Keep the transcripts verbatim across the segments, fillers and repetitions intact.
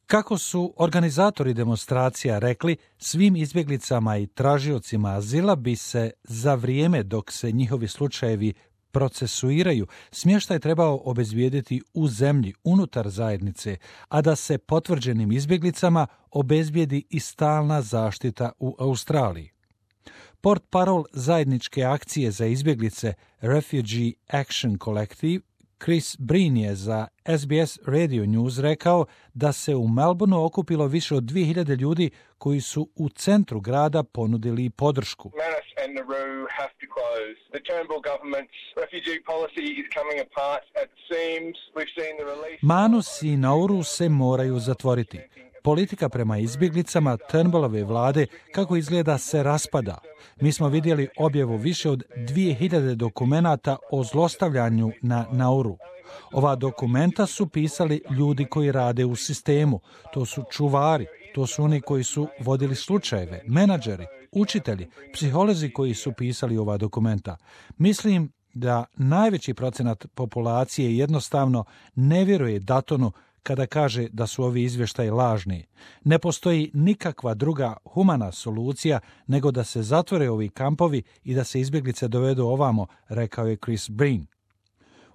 Kako su organizatori demonstracija rekli, svim izbjeglicama i tražiocima azila bi se za vrijeme dok se njihovi slučajevi procesuiraju, smještaj trebao obezbijediti u zemlji unutar zajednice, a da se potvrđenim izbjeglicama obezbijedi i stalna zaštita u Australiji. Portparol zajedničke akcije za izbjeglice Refugee Action Collective Chris Breen je za S B S Radio News rekao da se u Melbourneu okupilo više od dvije hiljade ljudi koji su u centru grada ponudili podršku. Manus i Nauru se moraju zatvoriti. Politika prema izbjeglicama Turnbullove vlade kako izgleda se raspada. Mi smo vidjeli objavu više od dvije hiljade dokumenata o zlostavljanju na Nauru. Ova dokumenta su pisali ljudi koji rade u sistemu. To su čuvari, to su oni koji su vodili slučajeve, menadžeri, učitelji, psiholozi koji su pisali ova dokumenta. Mislim da najveći procenat populacije jednostavno ne vjeruje Duttonu kada kaže da su ovi izvještaji lažni. Ne postoji nikakva druga humana solucija nego da se zatvore ovi kampovi i da se izbjeglice dovedu ovamo, rekao je Chris Breen.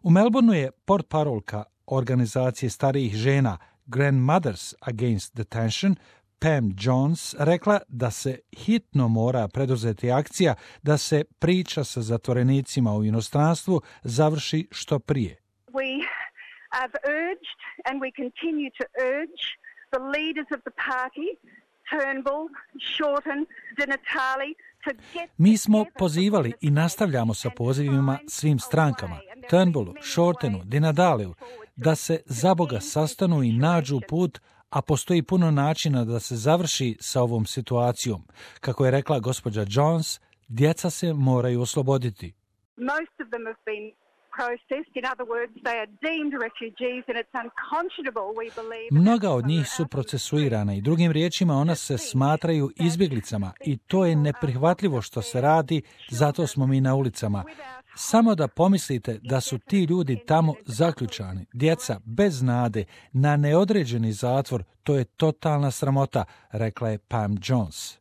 U Melbourneu je portparolka organizacije starijih žena Grandmothers Against Detention Pam Jones rekla da se hitno mora preduzeti akcija da se priča sa zatvorenicima u inostranstvu završi što prije. We have urged and we continue to urge the leaders of the party, Turnbull, Shorten, Di Natale, to get... Mi smo pozivali i nastavljamo sa pozivima svim strankama, Turnbullu, Shortenu, Di Nataleu, da se za Boga sastanu i nađu put, a postoji puno načina da se završi sa ovom situacijom. Kako je rekla gospođa Jones, djeca se moraju osloboditi. Most of them have been processed. In other words, they are deemed refugees and it's unconscionable, we believe. Mnoga od njih su procesuirana i drugim riječima ona se smatraju izbjeglicama i to je neprihvatljivo što se radi, zato smo mi na ulicama. Samo da pomislite da su ti ljudi tamo zaključani, djeca bez nade, na neodređeni zatvor, to je totalna sramota, rekla je Pam Jones.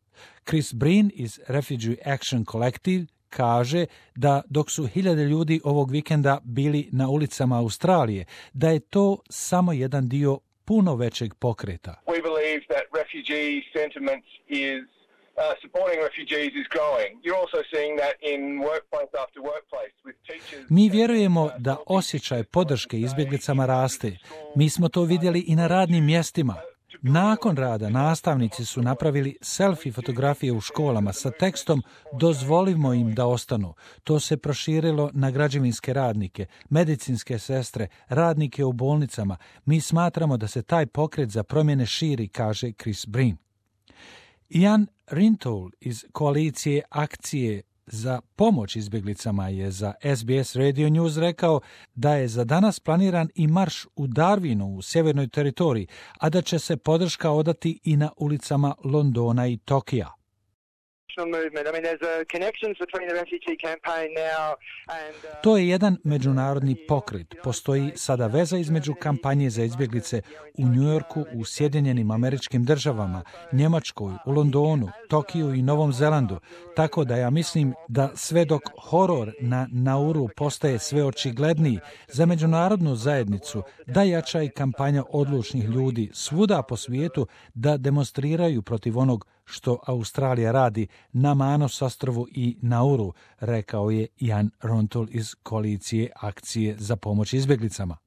Chris Breen iz Refugee Action Collective kaže da dok su hiljade ljudi ovog vikenda bili na ulicama Australije, da je to samo jedan dio puno većeg pokreta. We believe that refugee sentiment is Uh, supporting refugees is growing. You're also seeing that in workplace after workplace with teachers. Mi vjerujemo da osjećaj podrške izbjeglicama raste. Mi smo to vidjeli i na radnim mjestima. Nakon rada nastavnici su napravili selfie fotografije u školama sa tekstom "Dozvolimo im da ostanu". To se proširilo na građevinske radnike, medicinske sestre, radnike u bolnicama. Mi smatramo da se taj pokret za promjene širi, kaže Chris Breen. Ian Rintoul iz koalicije akcije za pomoć izbjeglicama je za S B S Radio News rekao da je za danas planiran i marš u Darwinu u sjevernoj teritoriji, a da će se podrška odati i na ulicama Londona i Tokija. To je jedan međunarodni pokret. Postoji sada veza između kampanje za izbjeglice u New Yorku, u Sjedinjenim Američkim Državama, Njemačkoj, u Londonu, Tokiju i Novom Zelandu. Tako da ja mislim da sve dok horor na Nauru postaje sve očigledniji za međunarodnu zajednicu, da jača i kampanja odlučnih ljudi svuda po svijetu da demonstriraju protiv onog što Australija radi na Manus ostrvu i Nauru, rekao je Ian Rintoul iz koalicije akcije za pomoć izbjeglicama.